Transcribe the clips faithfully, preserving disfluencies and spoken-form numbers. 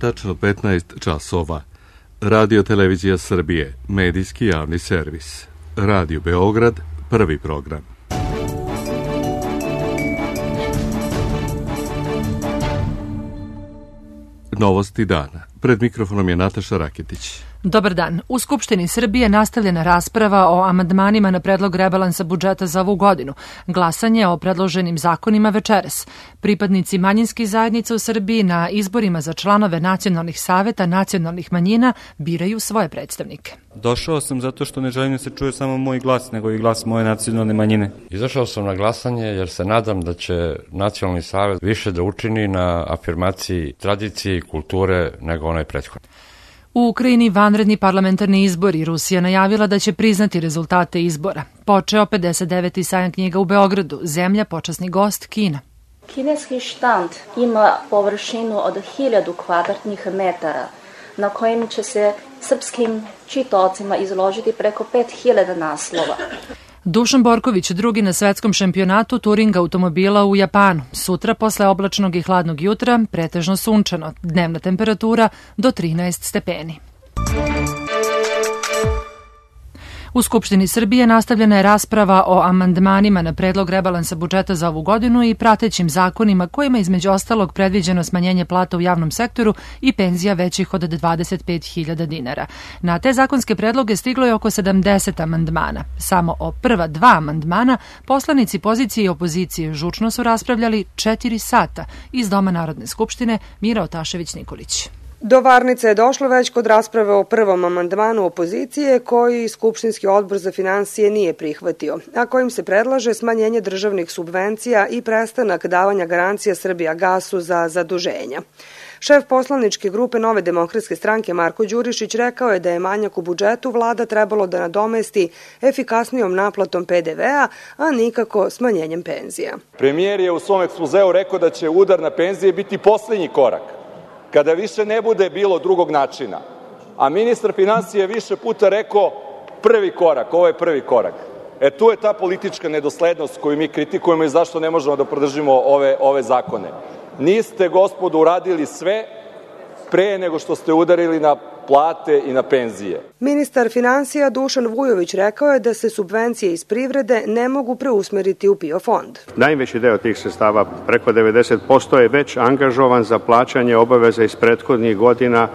tačno petnaest časova. Radio Televizija Srbije, medijski javni servis. Radio Beograd, prvi program. Novosti dana. Pred mikrofonom je Nataša Raketić. Dobar dan. U Skupštini Srbije nastavljena rasprava o amandmanima na predlog rebalansa budžeta za ovu godinu. Glasanje o predloženim zakonima večeras. Pripadnici manjinskih zajednica u Srbiji na izborima za članove nacionalnih saveta nacionalnih manjina biraju svoje predstavnike. Došao sam zato što ne želim da se čuje samo moj glas, nego i glas moje nacionalne manjine. Izašao sam na glasanje jer se nadam da će nacionalni savet više da učini na afirmaciji tradicije i kulture nego onaj prethodni. U Ukrajini vanredni parlamentarni izbori. Rusija najavila da će priznati rezultate izbora. Počeo pedeset deveti sajam knjiga u Beogradu. Zemlja počasni gost Kina. Kineski štand ima površinu od hiljadu kvadratnih metara na kojim će se srpskim čitaocima izložiti preko pet hiljada naslova. Dušan Borković, drugi na svetskom šampionatu turing automobila u Japanu. Sutra posle oblačnog i hladnog jutra pretežno sunčano. Dnevna temperatura do trinaest stepeni. U Skupštini Srbije nastavljena je rasprava o amandmanima na predlog rebalansa budžeta za ovu godinu i pratećim zakonima kojima između ostalog predviđeno smanjenje plata u javnom sektoru i penzija većih od dvadeset pet hiljada dinara. Na te zakonske predloge stiglo je oko sedamdeset amandmana. Samo o prva dva amandmana poslanici pozicije i opozicije žučno su raspravljali četiri sata. Iz Doma Narodne skupštine Mira Otašević-Nikolić. Do varnice je došlo već kod rasprave o prvom amandmanu opozicije koji Skupštinski odbor za finansije nije prihvatio, a kojim se predlaže smanjenje državnih subvencija i prestanak davanja garancija Srbijagasu za zaduženja. Šef poslaničke grupe Nove demokratske stranke Marko Đurišić rekao je da je manjak u budžetu vlada trebalo da nadomesti efikasnijom naplatom pe de ve a, a nikako smanjenjem penzija. Premijer je u svom ekspozeu rekao da će udar na penzije biti poslednji korak, kada više ne bude bilo drugog načina. A ministar finansija je više puta rekao prvi korak, ovo je prvi korak. E tu je ta politička nedoslednost koju mi kritikujemo i zašto ne možemo da podržimo ove, ove zakone. Niste, gospodo, uradili sve pre nego što ste udarili na plate i na penzije. Ministar finansija Dušan Vujović rekao je da se subvencije iz privrede ne mogu preusmeriti u PIO fond. Najveći deo tih sredstava, preko devedeset posto, je već angažovan za plaćanje obaveza iz prethodnih godina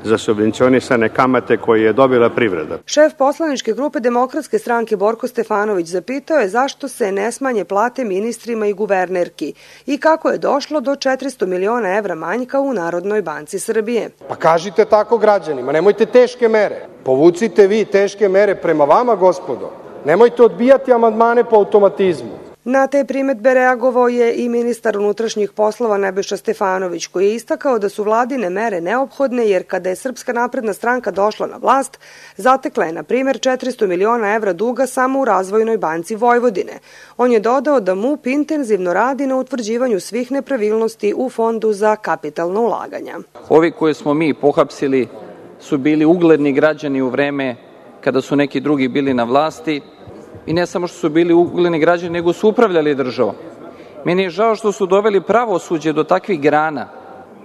za subvencionisane kamate koje je dobila privreda. Šef poslaničke grupe Demokratske stranke Borko Stefanović zapitao je zašto se ne smanje plate ministrima i guvernerki i kako je došlo do četiristo miliona evra manjka u Narodnoj banci Srbije. Pa kažite tako građanima, nemojte teške mere. Povucite vi teške mere prema vama, gospodo. Nemojte odbijati amandmane po automatizmu. Na te primetbe reagovao je i ministar unutrašnjih poslova Nebojša Stefanović, koji je istakao da su vladine mere neophodne jer kada je Srpska napredna stranka došla na vlast, zatekla je, na primjer, četiristo miliona evra duga samo u Razvojnoj banci Vojvodine. On je dodao da MUP intenzivno radi na utvrđivanju svih nepravilnosti u Fondu za kapitalna ulaganja. Ovi koje smo mi pohapsili su bili ugledni građani u vreme kada su neki drugi bili na vlasti. I ne samo što su bili ugledni građani, nego su upravljali državom. Meni je žao što su doveli pravosuđe do takvih grana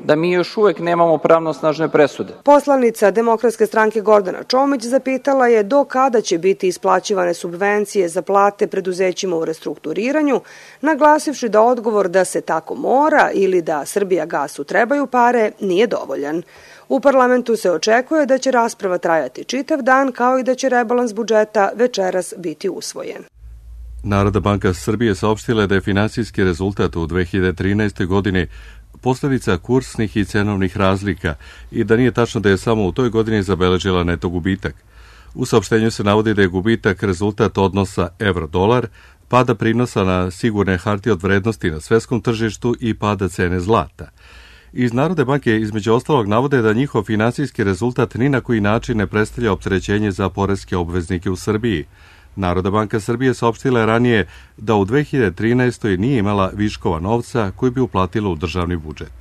da mi još uvek nemamo pravnosnažne presude. Poslanica Demokratske stranke Gordana Čomić zapitala je do kada će biti isplaćivane subvencije za plate preduzećima u restrukturiranju, naglasivši da odgovor da se tako mora ili da Srbijagasu trebaju pare nije dovoljan. U parlamentu se očekuje da će rasprava trajati čitav dan, kao i da će rebalans budžeta večeras biti usvojen. Narodna banka Srbije saopštila da je finansijski rezultat u dve hiljade trinaestoj. godini posledica kursnih i cenovnih razlika i da nije tačno da je samo u toj godini zabeležila neto gubitak. U saopštenju se navodi da je gubitak rezultat odnosa evro-dolar, pada prinosa na sigurne hartije od vrednosti na svetskom tržištu i pada cene zlata. Iz Narodne banke između ostalog navode da njihov finansijski rezultat ni na koji način ne predstavlja opterećenje za poreske obveznike u Srbiji. Narodna banka Srbije saopštila je ranije da u dve hiljade trinaestoj. nije imala viškova novca koji bi uplatila u državni budžet.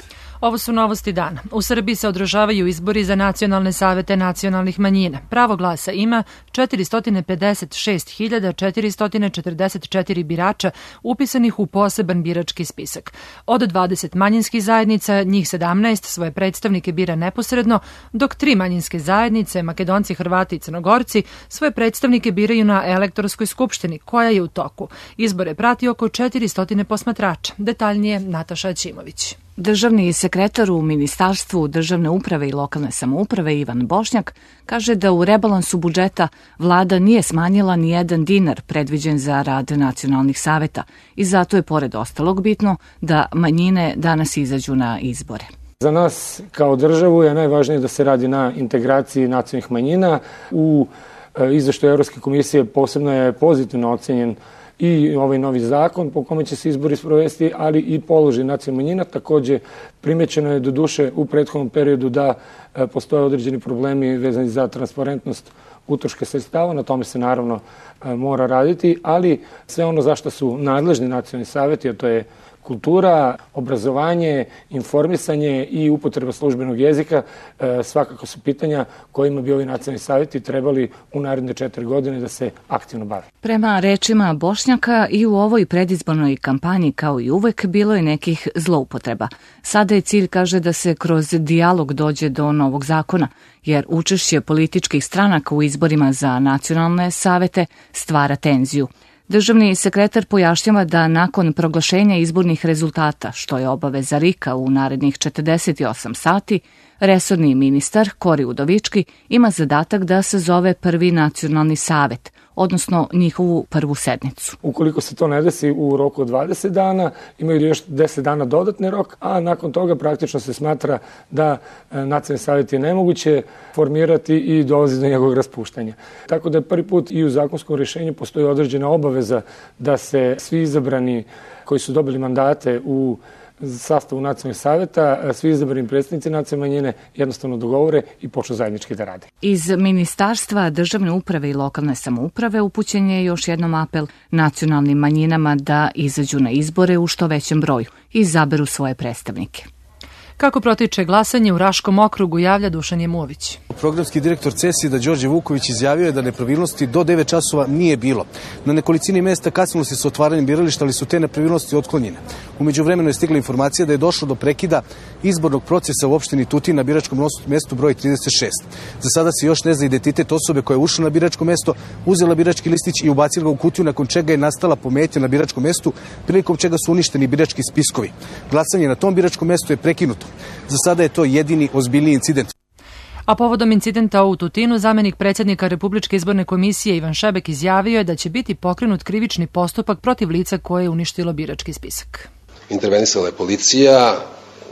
Ovo su novosti dana. U Srbiji se održavaju izbori za nacionalne savete nacionalnih manjina. Pravo glasa ima četiristo pedeset šest hiljada četiristo četrdeset četiri birača upisanih u poseban birački spisak. Od dvadeset manjinskih zajednica, njih sedamnaest svoje predstavnike bira neposredno, dok tri manjinske zajednice, Makedonci, Hrvati i Crnogorci, svoje predstavnike biraju na elektorskoj skupštini, koja je u toku. Izbore prati oko četiristo posmatrača. Detaljnije Nataša Aćimović. Državni sekretar u Ministarstvu državne uprave i lokalne samouprave Ivan Bošnjak kaže da u rebalansu budžeta vlada nije smanjila ni jedan dinar predviđen za rad nacionalnih saveta i zato je pored ostalog bitno da manjine danas izađu na izbore. Za nas kao državu je najvažnije da se radi na integraciji nacionalnih manjina. U izveštaju Evropske komisije posebno je pozitivno ocenjen i ovaj novi zakon po kome će se izbori sprovesti, ali i položaj nacionalnih manjina. Takođe, primećeno je do duše u prethodnom periodu da postoje određeni problemi vezani za transparentnost utroška sredstava, na tome se naravno mora raditi, ali sve ono za što su nadležni nacionalni saveti, a to je kultura, obrazovanje, informisanje i upotreba službenog jezika, svakako su pitanja kojima bi ovi nacionalni saveti trebali u naredne četiri godine da se aktivno bave. Prema rečima Bošnjaka, i u ovoj predizbornoj kampanji kao i uvek bilo je nekih zloupotreba. Sada je cilj, kaže, da se kroz dijalog dođe do novog zakona, jer učešće političkih stranaka u izborima za nacionalne savete stvara tenziju. Državni sekretar pojašnjava da nakon proglašenja izbornih rezultata, što je obaveza R I K-a u narednih četrdeset osam sati, resorni ministar Kori Udovički ima zadatak da sazove prvi nacionalni savet, odnosno njihovu prvu sednicu. Ukoliko se to ne desi u roku od dvadeset dana, imaju još deset dana dodatni rok, a nakon toga praktično se smatra da nacionalni savjet je nemoguće formirati i dolazi do njegovog raspuštanja. Tako da je prvi put i u zakonskom rješenju postoji određena obaveza da se svi izabrani koji su dobili mandate u sastavu nacionalnih saveta, svi izabrani predstavnici nacionalne manjine jednostavno dogovore i počnu zajednički da rade. Iz Ministarstva državne uprave i lokalne samouprave upućen je još jednom apel nacionalnim manjinama da izađu na izbore u što većem broju i izaberu svoje predstavnike. Kako protiče glasanje u Raškom okrugu, javlja Dušan Jemović. Programski direktor CESID-a Đorđe Vuković izjavio je da nepravilnosti do devet časova nije bilo. Na nekolicini mesta kasnilo se sa otvaranjem birališta, ali su te nepravilnosti otklonjene. U međuvremenu je stigla informacija da je došlo do prekida izbornog procesa u opštini Tutin na biračkom mestu broj trideset šest. Za sada se još ne zna identitet osobe koja je ušla na biračko mesto, uzela birački listić i ubacila ga u kutiju, nakon čega je nastala pometnja na biračkom mestu, prilikom čega su uništeni birački spiskovi. Glasanje na tom biračkom mestu je prekinuto. Za sada je to jedini ozbiljniji incident. A povodom incidenta u Tutinu, zamenik predsjednika Republičke izborne komisije Ivan Šebek izjavio je da će biti pokrenut krivični postupak protiv lica koje je uništilo birački spisak. Intervenisala je policija,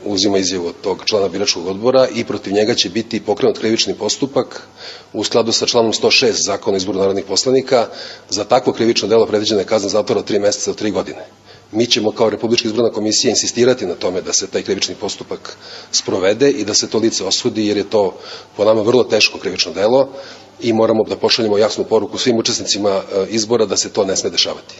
uzima izjavu od tog člana biračkog odbora i protiv njega će biti pokrenut krivični postupak u skladu sa članom sto šest Zakona o izboru narodnih poslanika. Za takvo krivično delo predviđena je kazna zatvora od tri meseca do tri godine. Mi ćemo kao Republička izborna komisija insistirati na tome da se taj krivični postupak sprovede i da se to lice osudi, jer je to po nama vrlo teško krivično delo i moramo da pošaljemo jasnu poruku svim učesnicima izbora da se to ne sme dešavati.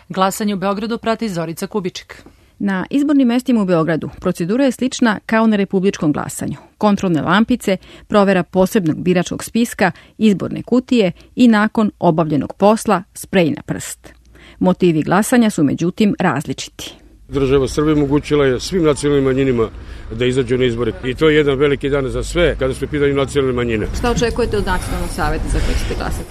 Glasanje u Beogradu prati Zorica Kubiček. Na izbornim mestima u Beogradu procedura je slična kao na republičkom glasanju. Kontrolne lampice, provera posebnog biračkog spiska, izborne kutije i nakon obavljenog posla sprej na prst. Motivi glasanja su međutim različiti. Država Srbije omogućila je svim nacionalnim manjinama da izađu na izbore i to je jedan veliki dan za sve kada su u pitanju nacionalne manjine. Šta očekujete od nacionalnog saveta za koji ćete glasati?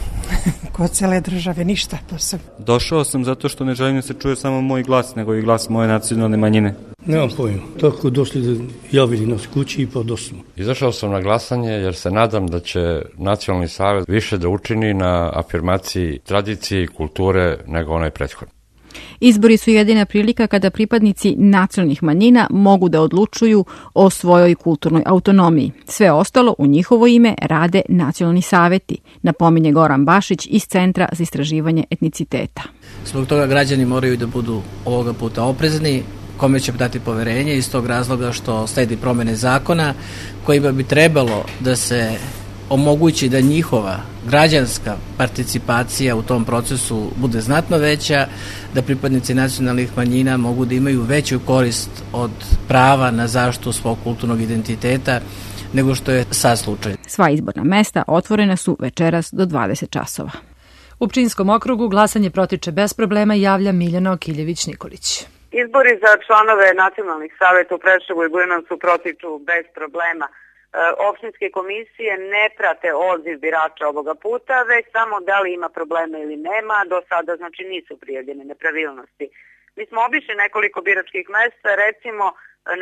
Kod cele države ništa posebno. Došao sam zato što ne želim da se čuje samo moj glas, nego i glas moje nacionalne manjine. Nemam pojma. Tako došli da javili nas kući i pa došli. Izašao sam na glasanje jer se nadam da će nacionalni savet više da učini na afirmaciji tradicije i kulture nego onaj prethodni. Izbori su jedina prilika kada pripadnici nacionalnih manjina mogu da odlučuju o svojoj kulturnoj autonomiji. Sve ostalo u njihovo ime rade nacionalni saveti, napominje Goran Bašić iz Centra za istraživanje etniciteta. Zbog toga građani moraju da budu ovoga puta oprezni, kome će dati poverenje, iz tog razloga što sledi promene zakona kojima bi trebalo da se omogući da njihova građanska participacija u tom procesu bude znatno veća, da pripadnici nacionalnih manjina mogu da imaju veću korist od prava na zaštitu svog kulturnog identiteta nego što je sad slučaj. Sva izborna mesta otvorena su večeras do dvadeset časova. U Pčinjskom okrugu glasanje protiče bez problema, javlja Miljana Okiljević-Nikolić. Izbori za članove nacionalnih saveta u Preševu i Bujanovcu protiču bez problema. Opštinske komisije ne prate odziv birača ovoga puta, već samo da li ima problema ili nema. Do sada znači nisu prijavljene nepravilnosti. Mi smo obišli nekoliko biračkih mesta, recimo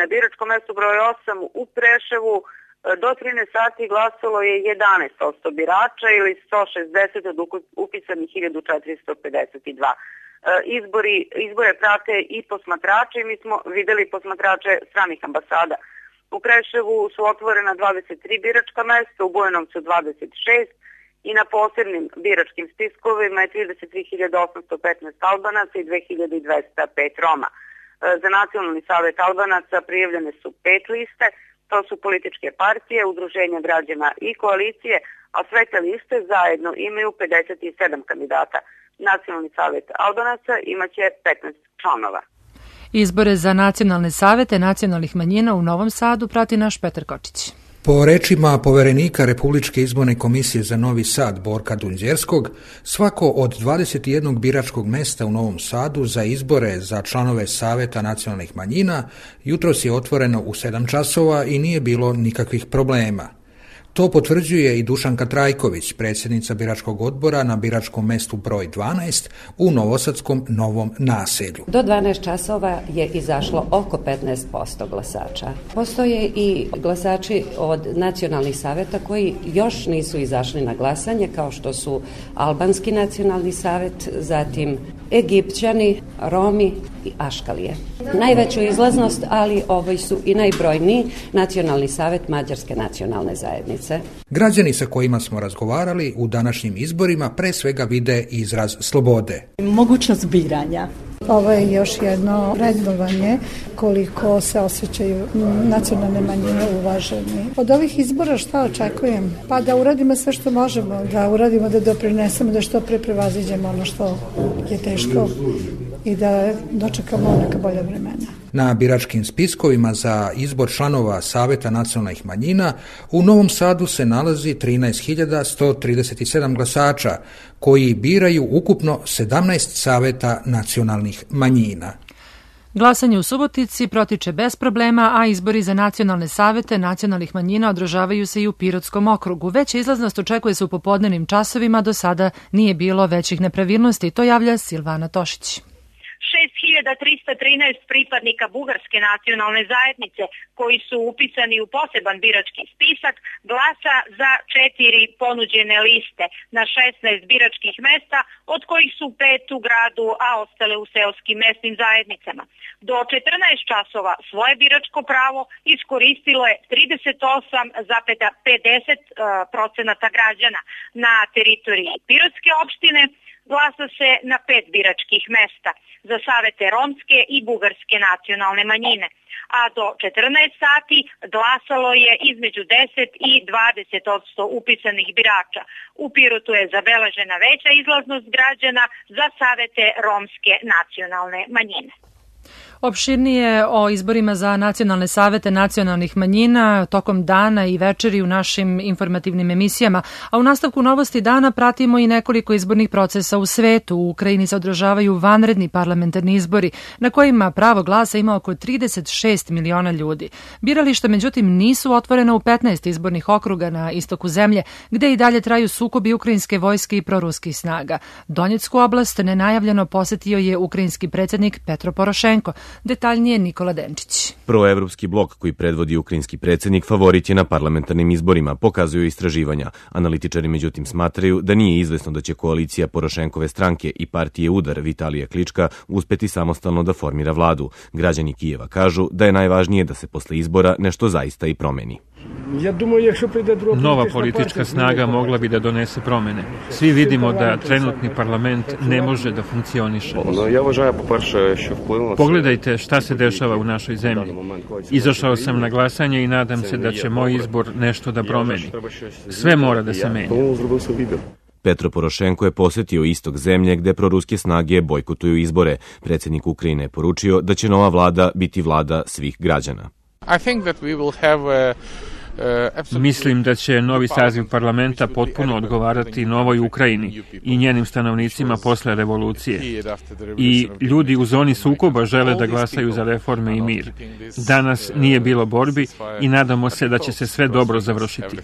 na biračkom mestu broj osam u Preševu do trinaest sati glasalo je jedanaest posto birača ili sto šezdeset od upisanih hiljadu četiristo pedeset dva. Izbori, izbore prate i posmatrače i mi smo videli posmatrače stranih ambasada. U Preševu su otvorena dvadeset tri biračka mesta, u Bujanovcu dvadeset šest i na posebnim biračkim spiskovima je trideset tri hiljade osamsto petnaest Albanaca i dve hiljade dvesta pet Roma. Za Nacionalni savet Albanaca prijavljene su pet liste, to su političke partije, udruženja građana i koalicije, a sve te liste zajedno imaju pedeset sedam kandidata. Nacionalni savet Albanaca imaće petnaest članova. Izbore za nacionalne savete nacionalnih manjina u Novom Sadu prati naš Petar Kočić. Po rečima poverenika Republičke izborne komisije za Novi Sad Borka Dunđerskog, svako od dvadeset jednog biračkog mesta u Novom Sadu za izbore za članove Saveta nacionalnih manjina jutros je otvoreno u sedam časova i nije bilo nikakvih problema. To potvrđuje i Dušanka Trajković, predsjednica biračkog odbora na biračkom mestu broj dvanaest u Novosadskom Novom Naselju. Do dvanaest časova je izašlo oko petnaest posto glasača. Postoje i glasači od nacionalnih saveta koji još nisu izašli na glasanje, kao što su Albanski nacionalni savet, zatim Egipćani, Romi i Aškalije. Najveću izlaznost, ali ovaj su i najbrojniji, Nacionalni savet Mađarske nacionalne zajednice. Građani sa kojima smo razgovarali u današnjim izborima pre svega vide izraz slobode. Mogućnost biranja. Ovo je još jedno vrednovanje koliko se osjećaju nacionalne manjine uvaženi. Od ovih izbora šta očekujem? Pa da uradimo sve što možemo, da uradimo, da doprinesemo, da što pre prevaziđemo ono što je teško i da dočekamo neka bolja vremena. Na biračkim spiskovima za izbor članova Saveta nacionalnih manjina u Novom Sadu se nalazi trinaest hiljada sto trideset sedam glasača koji biraju ukupno sedamnaest saveta nacionalnih manjina. Glasanje u Subotici protiče bez problema, a izbori za nacionalne savete nacionalnih manjina održavaju se i u Pirotskom okrugu. Veća izlaznost očekuje se u popodnevnim časovima, do sada nije bilo većih nepravilnosti, to javlja Silvana Tošić. šest hiljada trista trinaest pripadnika bugarske nacionalne zajednice koji su upisani u poseban birački spisak glasa za četiri ponuđene liste na šesnaest biračkih mesta, od kojih su pet u gradu, a ostale u seoskim mesnim zajednicama. Do četrnaest časova svoje biračko pravo iskoristilo je trideset osam zarez pedeset procenata građana. Na teritoriji Pirotske opštine glasa se na pet biračkih mesta za savete romske i bugarske nacionalne manjine, a do četrnaest sati glasalo je između deset i dvadeset posto upisanih birača. U Pirotu je zabeležena veća izlaznost građana za savete romske nacionalne manjine. Opširnije o izborima za nacionalne savete nacionalnih manjina tokom dana i večeri u našim informativnim emisijama, a u nastavku novosti dana pratimo i nekoliko izbornih procesa u svetu. U Ukrajini se održavaju vanredni parlamentarni izbori na kojima pravo glasa ima oko trideset šest miliona ljudi. Birališta međutim nisu otvorena u petnaest izbornih okruga na istoku zemlje, gde i dalje traju sukobi ukrajinske vojske i proruskih snaga. Donjecku oblast nenajavljeno posetio je ukrajinski predsjednik Petro Porošenko. Detaljnije Nikola Denčić. Proevropski blok koji predvodi ukrajinski predsjednik favorit je na parlamentarnim izborima, pokazuju istraživanja. Analitičari međutim smatraju da nije izvesno da će koalicija Porošenkove stranke i partije Udar Vitalija Klička uspeti samostalno da formira vladu. Građani Kijeva kažu da je najvažnije da se posle izbora nešto zaista i promeni. Nova politička snaga mogla bi da donese promene. Svi vidimo da trenutni parlament ne može da funkcioniše. Pogledajte šta se dešava u našoj zemlji. Izašao sam na glasanje i nadam se da će moj izbor nešto da promeni. Sve mora da se menja. Petro Porošenko je posetio istok zemlje gde proruske snage bojkotuju izbore. Predsjednik Ukrajine je poručio da će nova vlada biti vlada svih građana. Mislim da će novi saziv parlamenta potpuno odgovarati novoj Ukrajini i njenim stanovnicima posle revolucije. I ljudi u zoni sukoba žele da glasaju za reforme i mir. Danas nije bilo borbi i nadamo se da će se sve dobro završiti.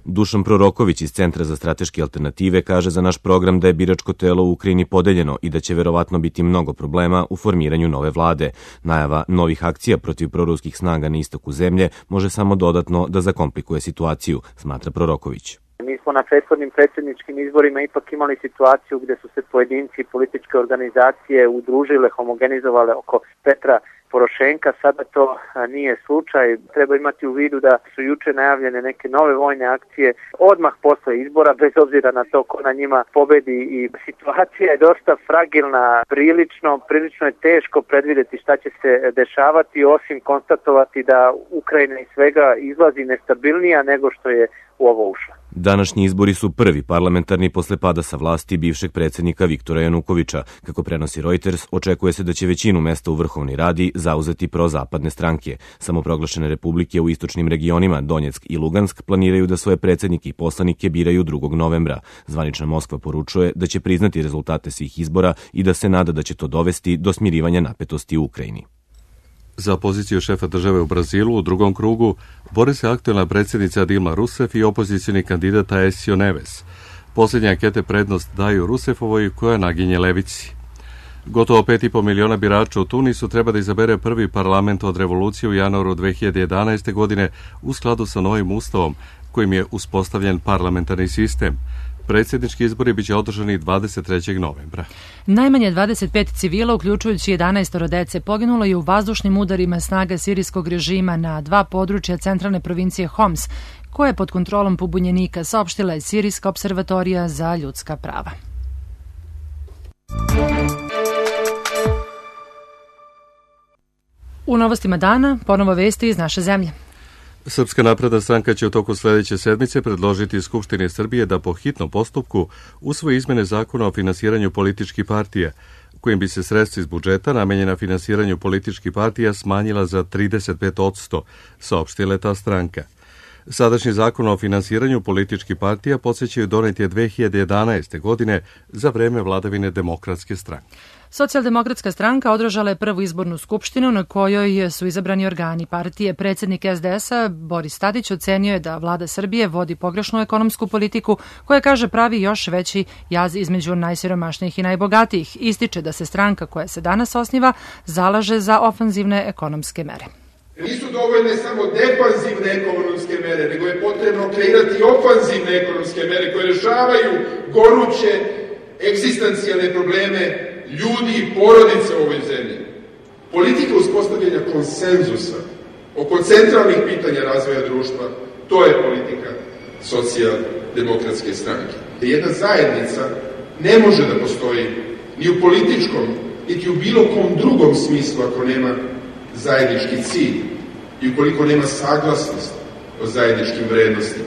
Dušan Proroković iz Centra za strateške alternative kaže za naš program da je biračko telo u Ukrajini podeljeno i da će verovatno biti mnogo problema u formiranju nove vlade. Najava novih akcija protiv proruskih snaga na istoku zemlje može samo dodatno da zakomplikuje situaciju, smatra Proroković. Mi smo na prethodnim predsjedničkim izborima ipak imali situaciju gde su se pojedinci i političke organizacije udružile, homogenizovale oko Petra Porošenka. Sada to nije slučaj. Treba imati u vidu da su juče najavljene neke nove vojne akcije odmah posle izbora, bez obzira na to ko na njima pobedi, i situacija je dosta fragilna, prilično, prilično je teško predvidjeti šta će se dešavati, osim konstatovati da Ukrajina iz svega izlazi nestabilnija nego što je u ovo ušla. Današnji izbori su prvi parlamentarni posle pada sa vlasti bivšeg predsjednika Viktora Janukovića. Kako prenosi Reuters, očekuje se da će većinu mesta u Vrhovnoj Radi zauzeti prozapadne stranke. Samoproglašene republike u istočnim regionima Donjeck i Lugansk planiraju da svoje predsjednike i poslanike biraju drugog novembra. Zvanična Moskva poručuje da će priznati rezultate svih izbora i da se nada da će to dovesti do smirivanja napetosti u Ukrajini. Za poziciju šefa države u Brazilu u drugom krugu bori se aktuelna predsjednica Dilma Rousseff i opozicioni kandidat Aécio Neves. Posljednje ankete prednost daju Rousseffovoj koja naginje levici. Gotovo pet i po miliona birača u Tunisu treba da izabere prvi parlament od revolucije u januaru dve hiljade jedanaeste. godine u skladu sa novim ustavom kojim je uspostavljen parlamentarni sistem. Predsjednički izbori biće održani dvadeset trećeg novembra. Najmanje dvadeset pet civila, uključujući jedanaest dece, poginulo je u vazdušnim udarima snaga sirijskog režima na dva područja centralne provincije Homs, koja je pod kontrolom pobunjenika, saopštila je Sirijska observatorija za ljudska prava. U novostima dana ponovo vesti iz naše zemlje. Srpska napredna stranka će u toku sljedeće sedmice predložiti Skupštini Srbije da po hitnom postupku usvoji izmene zakona o finansiranju političkih partija, kojim bi se sredstva iz budžeta namenjena finansiranju političkih partija smanjila za trideset pet posto, saopštila je ta stranka. Sadašnji zakon o finansiranju političkih partija podsjećaju donet je dve hiljade jedanaeste. godine za vreme vladavine Demokratske stranke. Socijaldemokratska stranka održala je prvu izbornu skupštinu na kojoj su izabrani organi partije. Predsjednik es de es a Boris Tadić ocenio je da vlada Srbije vodi pogrešnu ekonomsku politiku koja, kaže, pravi još veći jaz između najsiromašnijih i najbogatijih. Ističe da se stranka koja se danas osniva zalaže za ofanzivne ekonomske mere. Nisu dovoljne samo defanzivne ekonomske mere, nego je potrebno kreirati ofanzivne ekonomske mere koje rešavaju goruće egzistencijalne probleme ljudi i porodice u ovoj zemlji. Politika uspostavljanja konsenzusa oko centralnih pitanja razvoja društva, to je politika socijaldemokratske stranke. Jedna zajednica ne može da postoji ni u političkom, niti u bilo kom drugom smislu ako nema zajednički cilj i ukoliko nema saglasnost o zajedničkim vrednostima.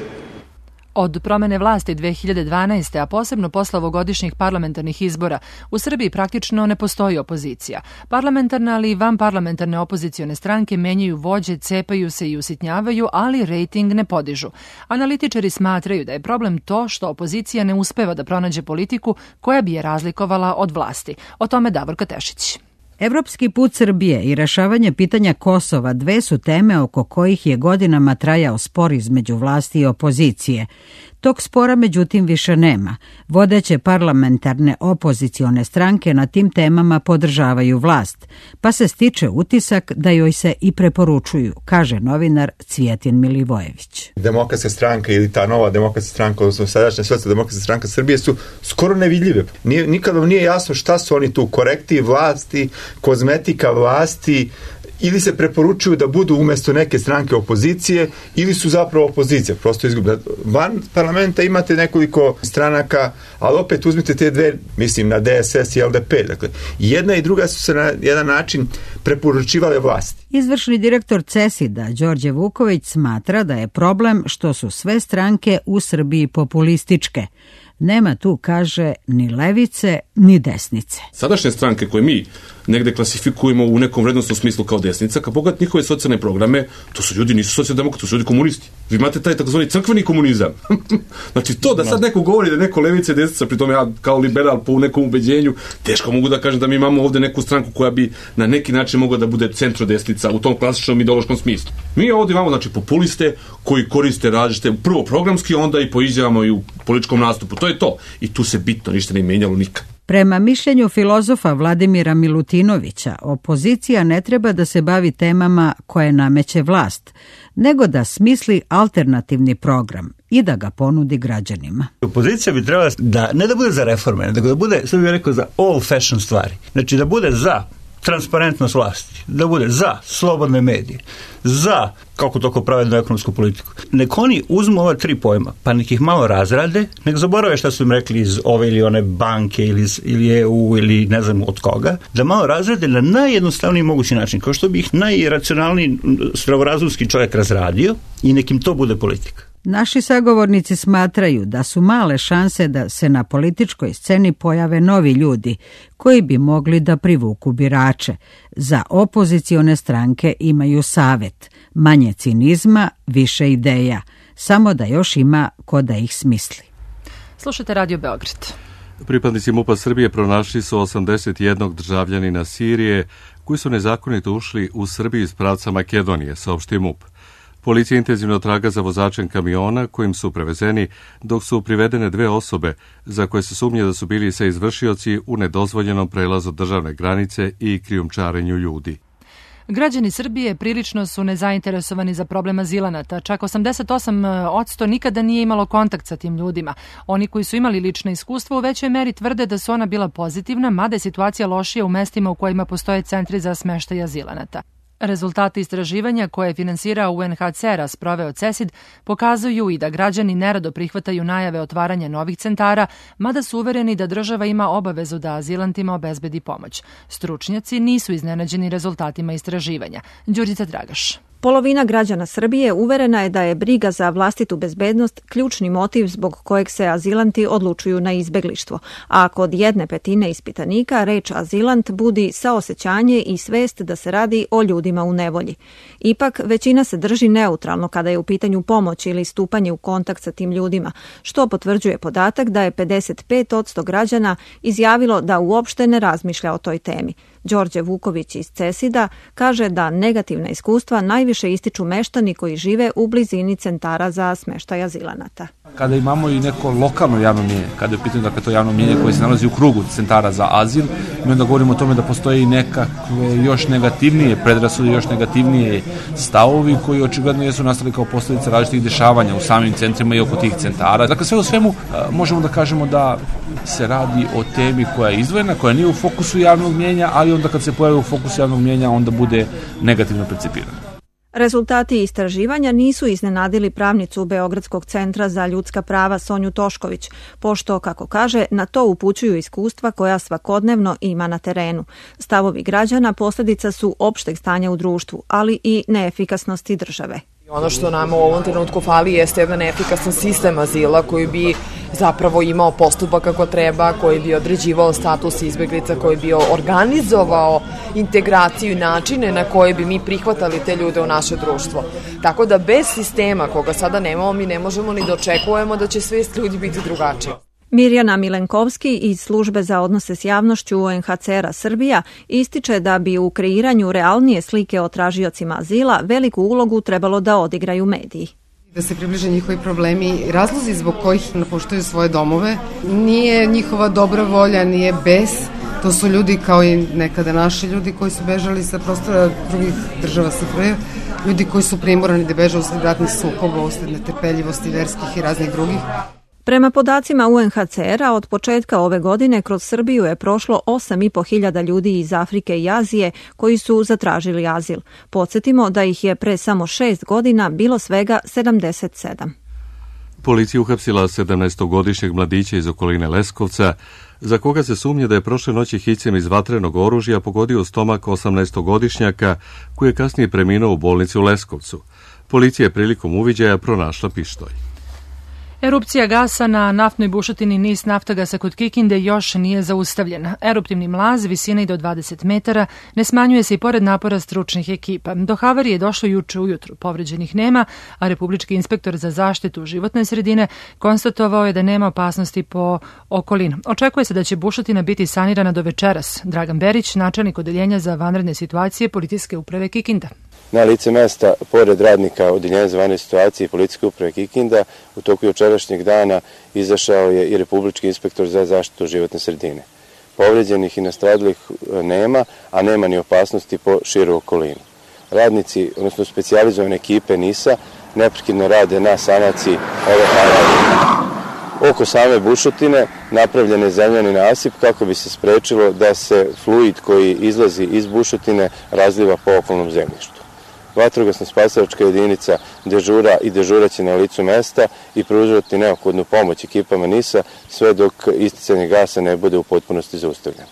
Od promene vlasti dve hiljade dvanaeste. a posebno posle ovogodišnjih parlamentarnih izbora, u Srbiji praktično ne postoji opozicija. Parlamentarne, ali i vanparlamentarne opozicione stranke menjaju vođe, cepaju se i usitnjavaju, ali rejting ne podižu. Analitičari smatraju da je problem to što opozicija ne uspeva da pronađe politiku koja bi je razlikovala od vlasti. O tome Davorka Tešić. Evropski put Srbije i rešavanje pitanja Kosova dve su teme oko kojih je godinama trajao spor između vlasti i opozicije. Tog spora međutim više nema. Vodeće parlamentarne opozicione stranke na tim temama podržavaju vlast, pa se stiče utisak da joj se i preporučuju, kaže novinar Cvijetin Milivojević. Demokratska stranka ili ta nova demokratska stranka, odnosno sadašnja socijaldemokratska stranka Srbije su skoro nevidljive. Nije, nikad vam nije jasno šta su oni tu, korektiv vlasti, kozmetika vlasti ili se preporučuju da budu umesto neke stranke opozicije, ili su zapravo opozicija, prosto izgubili. Van parlamenta imate nekoliko stranaka, ali opet uzmite te dve, mislim na D S S i L D P, dakle, jedna i druga su se na jedan način preporučivale vlasti. Izvršni direktor CESID-a, Đorđe Vuković, smatra da je problem što su sve stranke u Srbiji populističke. Nema tu, kaže, ni levice, ni desnice. Sadašnje stranke koje mi negde klasifikujemo u nekom vrednostnom smislu kao desnica, kad pogledate njihove socijalne programe, to su ljudi, nisu socijaldemokrati, to su ljudi komunisti. Vi imate taj takozvani crkveni komunizam. Znači to da sad neko govori da neko levica i desnica, pri tome ja kao liberal po nekom ubeđenju, teško mogu da kažem da mi imamo ovde neku stranku koja bi na neki način mogla da bude centrodesnica u tom klasičnom ideološkom smislu. Mi ovde imamo znači populiste koji koriste različite, prvo programski, onda i po izjavama i u političkom nastupu. To je to. I tu se bitno ništa ne menjalo nikad. Prema mišljenju filozofa Vladimira Milutinovića, opozicija ne treba da se bavi temama koje nameće vlast, nego da smisli alternativni program i da ga ponudi građanima. Opozicija bi trebala da ne da bude za reforme, nego da bude, sve bih rekao, za old fashion stvari. Znači da bude za transparentnost vlasti, da bude za slobodne medije, za kako toko pravednu ekonomsku politiku. Nek oni uzmu ova tri pojma, pa nek ih malo razrade, nek zaborave šta su im rekli iz ove ili one banke ili, iz, ili E U ili ne znam od koga, da malo razrade na najjednostavniji mogući način, kao što bi ih najracionalniji zdravorazumski čovjek razradio i nek im to bude politika. Naši sagovornici smatraju da su male šanse da se na političkoj sceni pojave novi ljudi koji bi mogli da privuku birače. Za opozicione stranke imaju savet, manje cinizma, više ideja, samo da još ima ko da ih smisli. Slušajte Radio Beograd. Pripadnici MUP-a Srbije pronašli su osamdeset jednog državljanina Sirije koji su nezakonito ušli u Srbiju iz pravca Makedonije, saopštio MUP. Policija intenzivno traga za vozačem kamiona kojim su prevezeni, dok su privedene dve osobe za koje se sumnje da su bili sa izvršioci u nedozvoljenom prelazu državne granice i krijumčarenju ljudi. Građani Srbije prilično su nezainteresovani za problem azilanata. Čak osamdeset osam posto nikada nije imalo kontakt sa tim ljudima. Oni koji su imali lična iskustva u većoj meri tvrde da su ona bila pozitivna, mada je situacija lošija u mestima u kojima postoje centri za smeštaj azilanata. Rezultati istraživanja koje je finansirao U N H C R a sproveo CESID pokazuju i da građani nerado prihvataju najave otvaranja novih centara, mada su uvereni da država ima obavezu da azilantima obezbedi pomoć. Stručnjaci nisu iznenađeni rezultatima istraživanja. Đurđica Dragaš. Polovina građana Srbije uverena je da je briga za vlastitu bezbednost ključni motiv zbog kojeg se azilanti odlučuju na izbeglištvo, a kod jedne petine ispitanika reč azilant budi saosećanje i svest da se radi o ljudima u nevolji. Ipak, većina se drži neutralno kada je u pitanju pomoć ili stupanje u kontakt sa tim ljudima, što potvrđuje podatak da je pedeset pet posto građana izjavilo da uopšte ne razmišlja o toj temi. Đorđe Vuković iz CESID-a kaže da negativna iskustva najviše ističu meštani koji žive u blizini centara za smeštaj azilanata. Kada imamo i neko lokalno javno mjenje, kada je u pitanju dakle, to javno mjenje koje se nalazi u krugu centara za azil, mi onda govorimo o tome da postoje i nekakve još negativnije predrasude, još negativnije stavovi koji očigledno jesu nastali kao posljedica različitih dešavanja u samim centrima i oko tih centara. Dakle, sve u svemu možemo da kažemo da se radi o temi koja je izdvojena, koja nije u fokusu javnog mjenja, ali onda kad se pojavi u fokusu javnog mjenja, onda bude negativno percipirana. Rezultati istraživanja nisu iznenadili pravnicu Beogradskog centra za ljudska prava Sonju Tošković, pošto, kako kaže, na to upućuju iskustva koja svakodnevno ima na terenu. Stavovi građana posljedica su opšteg stanja u društvu, ali i neefikasnosti države. Ono što nam u ovom trenutku fali jeste jedan efikasan sistem azila koji bi zapravo imao postupak kako treba, koji bi određivao status izbeglica, koji bi organizovao integraciju i načine na koje bi mi prihvatali te ljude u naše društvo. Tako da bez sistema koga sada nemamo mi ne možemo ni da očekujemo da će svest ljudi biti drugačiji. Mirjana Milenkovski iz Službe za odnose s javnošću U N H C R a Srbija ističe da bi u kreiranju realnije slike o tražiocima azila veliku ulogu trebalo da odigraju mediji. Da se približe njihovi problemi i razlozi zbog kojih napuštaju svoje domove. Nije njihova dobra volja, nije bes. To su ljudi kao i nekada naši ljudi koji su bežali sa prostora drugih država S F R J, ljudi koji su primorani da beže usled ratnih sukoba, usled netrpeljivosti verskih i raznih drugih. Prema podacima U N H C R-a, od početka ove godine kroz Srbiju je prošlo osam i po hiljada ljudi iz Afrike i Azije koji su zatražili azil. Podsjetimo da ih je pre samo šest godina bilo svega sedamdeset sedam. Policija uhapsila sedamnaestogodišnjeg mladića iz okoline Leskovca, za koga se sumnja da je prošle noći hicem iz vatrenog oružja pogodio u stomak osamnaestogodišnjaka koji je kasnije preminuo u bolnici u Leskovcu. Policija je prilikom uviđaja pronašla pištolj. Erupcija gasa na naftnoj bušotini Nis Naftagasa kod Kikinde još nije zaustavljena. Eruptivni mlaz, visine i do dvadeset metara, ne smanjuje se i pored napora stručnih ekipa. Do havarije je došlo juče ujutru. Povređenih nema, a Republički inspektor za zaštitu životne sredine konstatovao je da nema opasnosti po okolinu. Očekuje se da će bušotina biti sanirana do večeras. Dragan Berić, načelnik odeljenja za vanredne situacije Policijske uprave Kikinda. Na lice mesta, pored radnika Odeljenja za vanredne situacije i Policijske uprave Kikinda, u toku jučerašnjeg dana izašao je i Republički inspektor za zaštitu životne sredine. Povređenih i nastradalih nema, a nema ni opasnosti po širu okolinu. Radnici, odnosno specijalizovane ekipe NIS-a, neprekidno rade na sanaciji ove havarije. Oko same bušotine napravljen je zemljani nasip kako bi se sprečilo da se fluid koji izlazi iz bušotine razliva po okolnom zemljištu. Vatrogasna spasilačka jedinica dežura i dežuraće na licu mesta i pružati neophodnu pomoć ekipama NIS-a sve dok isticanje gasa ne bude u potpunosti zaustavljeno.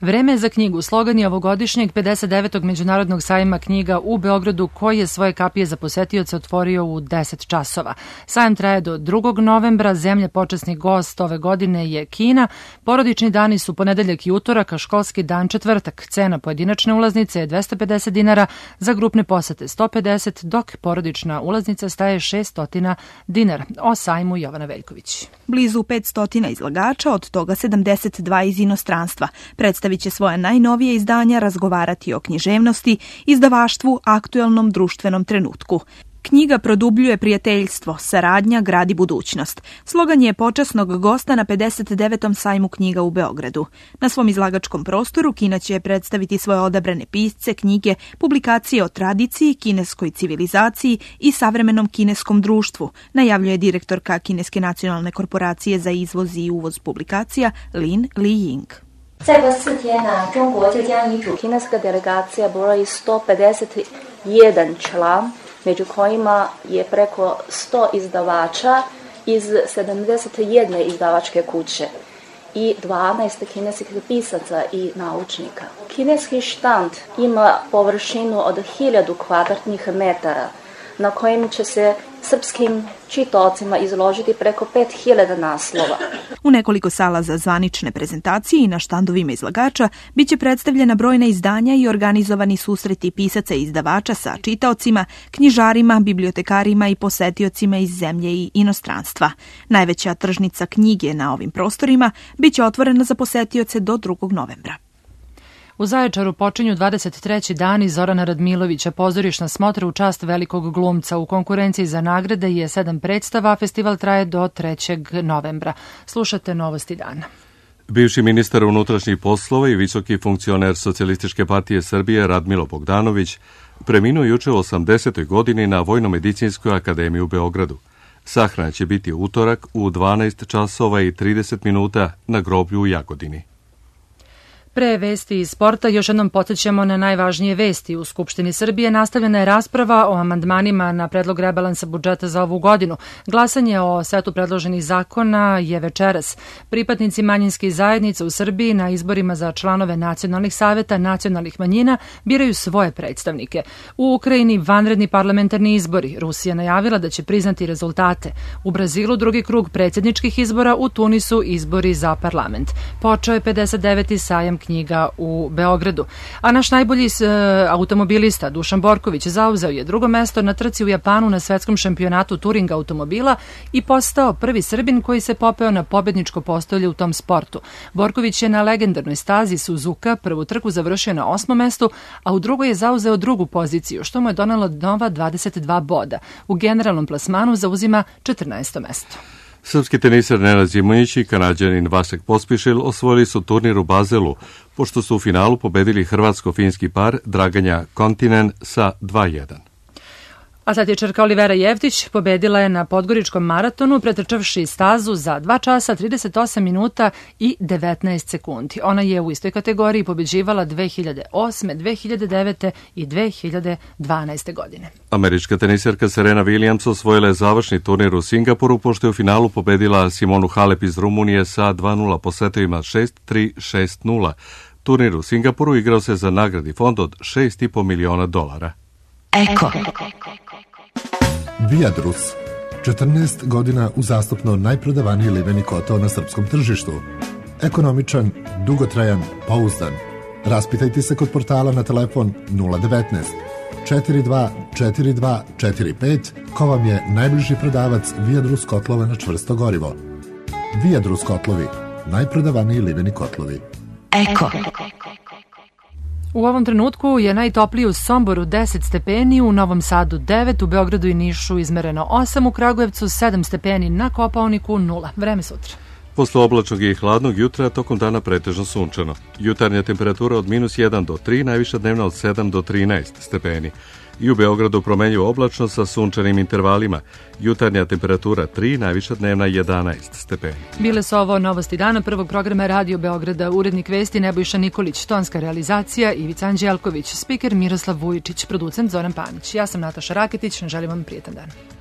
Vreme je za knjigu. Slogan je ovogodišnjeg pedeset devetog Međunarodnog sajma knjiga u Beogradu, koji je svoje kapije za posetioce otvorio u deset časova. Sajam traje do drugog novembra. Zemlja počasni gost ove godine je Kina. Porodični dani su ponedeljak i utorak, a školski dan četvrtak. Cena pojedinačne ulaznice je dvesta pedeset dinara, za grupne posete sto pedeset, dok porodična ulaznica staje šesto dinara. O sajmu Jovana Veljković. Blizu petsto izlagača, od toga sedamdeset dva iz inostranstva. Predstavit će svoje najnovije izdanja, razgovarati o književnosti, izdavaštvu, aktuelnom društvenom trenutku. Knjiga produbljuje prijateljstvo, saradnja gradi budućnost. Slogan je počasnog gosta na pedeset devetom sajmu knjiga u Beogradu. Na svom izlagačkom prostoru Kina će predstaviti svoje odabrane pisce, knjige, publikacije o tradiciji, kineskoj civilizaciji i savremenom kineskom društvu, najavljuje direktorka Kineske nacionalne korporacije za izvoz i uvoz publikacija Lin Liying. Kineska delegacija broji sto pedeset jedan član, među kojima je preko sto izdavača iz sedamdeset jedne izdavačke kuće i dvanaest kineskih pisaca i naučnika. Kineski štand ima površinu od hiljadu kvadratnih metara, na kojem će se srpskim čitaocima izložiti preko pet hiljada naslova. U nekoliko sala za zvanične prezentacije i na štandovima izlagača biće predstavljena brojna izdanja i organizovani susreti pisaca i izdavača sa čitaocima, knjižarima, bibliotekarima i posetiocima iz zemlje i inostranstva. Najveća tržnica knjige na ovim prostorima biće otvorena za posetioce do drugog novembra. U Zaječaru počinju dvadeset treći dani Zorana Radmilovića, pozorišna smotra u čast velikog glumca. U konkurenciji za nagrade je sedam predstava, a festival traje do trećeg novembra. Slušate Novosti dana. Bivši ministar unutrašnjih poslova i visoki funkcioner Socijalističke partije Srbije Radmilo Bogdanović preminuo juče u osamdesetoj godini na Vojno-medicinskoj akademiji u Beogradu. Sahrana će biti utorak u dvanaest časova i trideset minuta na groblju u Jagodini. Pre vesti iz sporta još jednom podsjećamo na najvažnije vesti. U Skupštini Srbije nastavljena je rasprava o amandmanima na predlog rebalansa budžeta za ovu godinu. Glasanje o setu predloženih zakona je večeras. Pripadnici manjinskih zajednica u Srbiji na izborima za članove nacionalnih saveta nacionalnih manjina biraju svoje predstavnike. U Ukrajini vanredni parlamentarni izbori. Rusija najavila da će priznati rezultate. U Brazilu drugi krug predsjedničkih izbora, u Tunisu izbori za parlament. Počeo je pedeset deveti sajam knjiga u Beogradu. A naš najbolji uh, automobilista Dušan Borković zauzeo je drugo mesto na trci u Japanu na svetskom šampionatu Turing automobila i postao prvi Srbin koji se popeo na pobedničko postolje u tom sportu. Borković je na legendarnoj stazi Suzuka prvu trku završio na osmom mestu, a u drugoj je zauzeo drugu poziciju, što mu je donelo nova dvadeset dva boda. U generalnom plasmanu zauzima četrnaesto mesto. Srpski teniser Nenad Zimonjić i Kanađanin Vasek Pospišil osvojili su turnir u Bazelu, pošto su u finalu pobedili hrvatsko-finski par Draganja Kontinen sa dva jedan. Atletičarka Olivera Jevtić pobedila je na Podgoričkom maratonu pretrčavši stazu za dva časa, trideset osam minuta i devetnaest sekundi. Ona je u istoj kategoriji pobeđivala dve hiljade osme, dve hiljade devete i dve hiljade dvanaeste godine. Američka tenisarka Serena Williams osvojila je završni turnir u Singapuru, pošto je u finalu pobedila Simonu Halep iz Rumunije sa dva nula po setovima šest tri, šest nula. Turnir u Singapuru igrao se za nagradni fond od šest i po miliona dolara. Eko. Viadrus. četrnaest godina uzastopno najprodavaniji liveni kotao na srpskom tržištu. Ekonomičan, dugotrajan, pouzdan. Raspitajte se kod portala na telefon nula devetnaest četiri dva četiri dva četiri pet ko vam je najbliži prodavac Viadrus kotlova na čvrsto gorivo. Viadrus kotlovi, najprodavaniji liveni kotlovi. Eko. U ovom trenutku je najtopliji u Somboru deset stepeni, u Novom Sadu devet, u Beogradu i Nišu izmereno osam, u Kragujevcu sedam stepeni, na Kopaoniku nula. Vreme sutra. Posle oblačnog i hladnog jutra, tokom dana pretežno sunčano. Jutarnja temperatura od minus jedan do tri, najviša dnevna od sedam do trinaest stepeni. I u Beogradu promenljivo oblačno sa sunčanim intervalima. Jutarnja temperatura tri, najviša dnevna jedanaest stepeni. Bile su ovo novosti dana prvog programa Radio Beograda. Urednik vesti Nebojša Nikolić, tonska realizacija Ivica Anđelković, spiker Miroslav Vujičić, producent Zoran Panić. Ja sam Nataša Raketić, želim vam prijetan dan.